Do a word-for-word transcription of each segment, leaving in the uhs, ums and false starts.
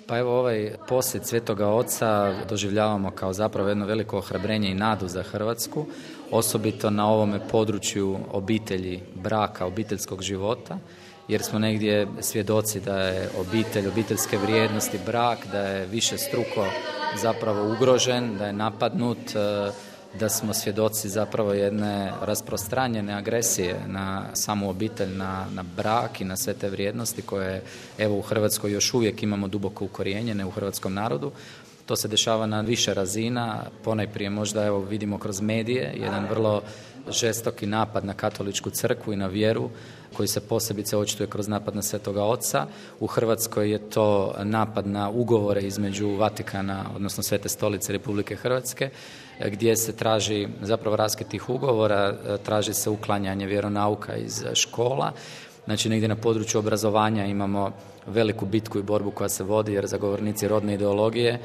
Pa evo ovaj posjet Svetoga Oca doživljavamo kao zapravo jedno veliko ohrabrenje i nadu za Hrvatsku, osobito na ovome području obitelji, braka, obiteljskog života, jer smo negdje svjedoci da je obitelj, obiteljske vrijednosti, brak, da je više struko zapravo ugrožen, da je napadnut, da smo svjedoci zapravo jedne rasprostranjene agresije na samu obitelj, na, na brak i na sve te vrijednosti koje evo u Hrvatskoj još uvijek imamo duboko ukorijenjene u hrvatskom narodu. To se dešava na više razina, ponajprije možda evo vidimo kroz medije, jedan vrlo žestoki napad na katoličku crkvu i na vjeru koji se posebice očituje kroz napad na Svetoga Oca. U Hrvatskoj je to napad na ugovore između Vatikana, odnosno Svete Stolice Republike Hrvatske, gdje se traži zapravo raskid tih ugovora, traži se uklanjanje vjeronauka iz škola. Znači negdje na području obrazovanja imamo veliku bitku i borbu koja se vodi jer zagovornici rodne ideologije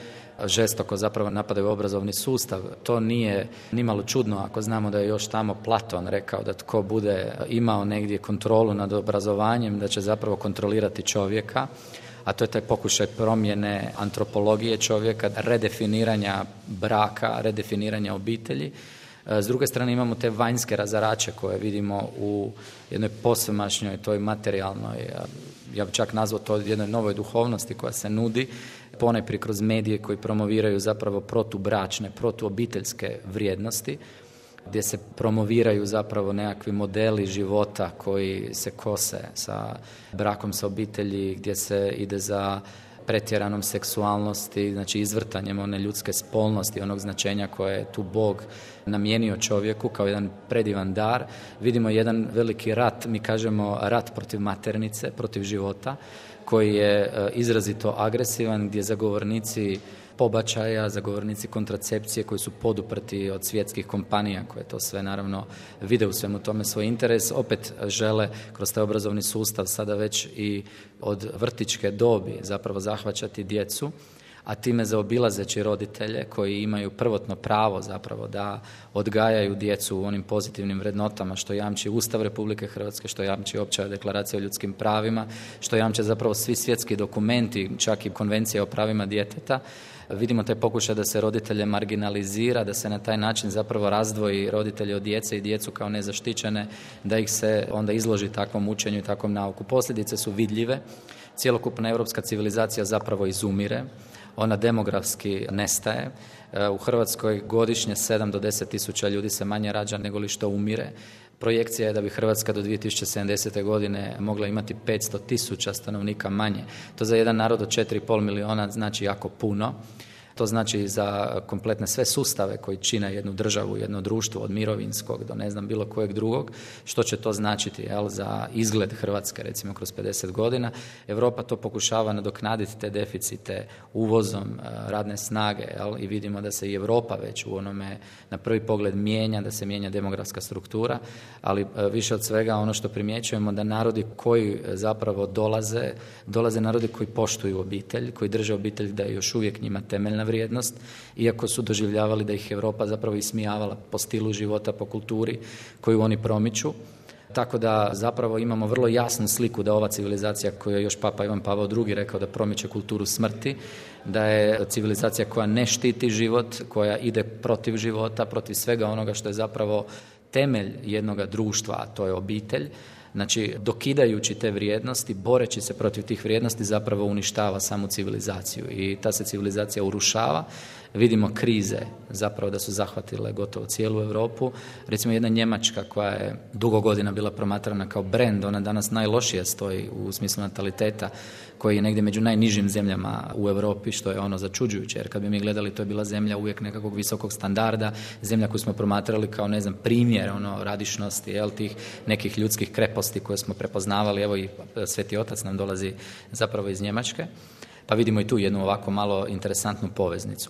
žestoko zapravo napadaju obrazovni sustav. To nije nimalo čudno ako znamo da je još tamo Platon rekao da tko bude imao negdje kontrolu nad obrazovanjem, da će zapravo kontrolirati čovjeka, a to je taj pokušaj promjene antropologije čovjeka, redefiniranja braka, redefiniranja obitelji. S druge strane imamo te vanjske razarače koje vidimo u jednoj posvemašnjoj, toj materijalnoj, ja bih čak nazvao to jednoj novoj duhovnosti koja se nudi, ponajprije kroz medije koji promoviraju zapravo protubračne, protuobiteljske vrijednosti, gdje se promoviraju zapravo nekakvi modeli života koji se kose sa brakom, sa obitelji, gdje se ide za pretjeranom seksualnosti, znači izvrtanjem one ljudske spolnosti, onog značenja koje je tu Bog namijenio čovjeku kao jedan predivan dar. Vidimo jedan veliki rat, mi kažemo rat protiv maternice, protiv života, koji je izrazito agresivan, gdje zagovornici pobačaja, zagovornici kontracepcije koji su poduprti od svjetskih kompanija koje to sve naravno vide u svemu tome svoj interes, opet žele kroz taj obrazovni sustav sada već i od vrtićke dobi zapravo zahvaćati djecu, a time zaobilazeći roditelje koji imaju prvotno pravo zapravo da odgajaju djecu u onim pozitivnim vrednotama što jamči Ustav Republike Hrvatske, što jamči Opća deklaracija o ljudskim pravima, što jamče zapravo svi svjetski dokumenti, čak i Konvencija o pravima djeteta. Vidimo taj pokušaj da se roditelje marginalizira, da se na taj način zapravo razdvoji roditelje od djece i djecu kao nezaštićene, da ih se onda izloži takvom učenju i takvom nauku. Posljedice su vidljive, cjelokupna europska civilizacija zapravo izumire, ona demografski nestaje. U Hrvatskoj godišnje sedam do deset tisuća ljudi se manje rađa nego li što umire. Projekcija je da bi Hrvatska do dvije tisuće sedamdesete godine mogla imati petsto tisuća stanovnika manje. To za jedan narod od četiri i pol milijuna znači jako puno. To znači za kompletne sve sustave koji čine jednu državu, jedno društvo od mirovinskog do ne znam bilo kojeg drugog, što će to značiti jel, za izgled Hrvatske recimo kroz pedeset godina. Europa to pokušava nadoknaditi te deficite uvozom radne snage jel, i vidimo da se i Europa već u onome na prvi pogled mijenja, da se mijenja demografska struktura, ali više od svega ono što primjećujemo da narodi koji zapravo dolaze, dolaze narodi koji poštuju obitelj, koji drže obitelj da je još uvijek njima temeljna vrijednost, iako su doživljavali da ih Europa zapravo ismijavala po stilu života, po kulturi koju oni promiču. Tako da zapravo imamo vrlo jasnu sliku da ova civilizacija koju je još Papa Ivan Pavao drugi rekao da promiče kulturu smrti, da je civilizacija koja ne štiti život, koja ide protiv života, protiv svega onoga što je zapravo temelj jednoga društva, a to je obitelj. Znači, dokidajući te vrijednosti, boreći se protiv tih vrijednosti, zapravo uništava samu civilizaciju i ta se civilizacija urušava. Vidimo krize zapravo da su zahvatile gotovo cijelu Europu. Recimo jedna Njemačka koja je dugo godina bila promatrana kao brend, ona danas najlošije stoji u smislu nataliteta, koji je negdje među najnižim zemljama u Europi, što je ono začuđujuće, jer kad bi mi gledali, to je bila zemlja uvijek nekakvog visokog standarda, zemlja koju smo promatrali kao, ne znam, primjer ono, radišnosti, jel, tih nekih ljudskih kreposti koje smo prepoznavali. Evo i Sveti Otac nam dolazi zapravo iz Njemačke, pa vidimo i tu jednu ovako malo interesantnu poveznicu.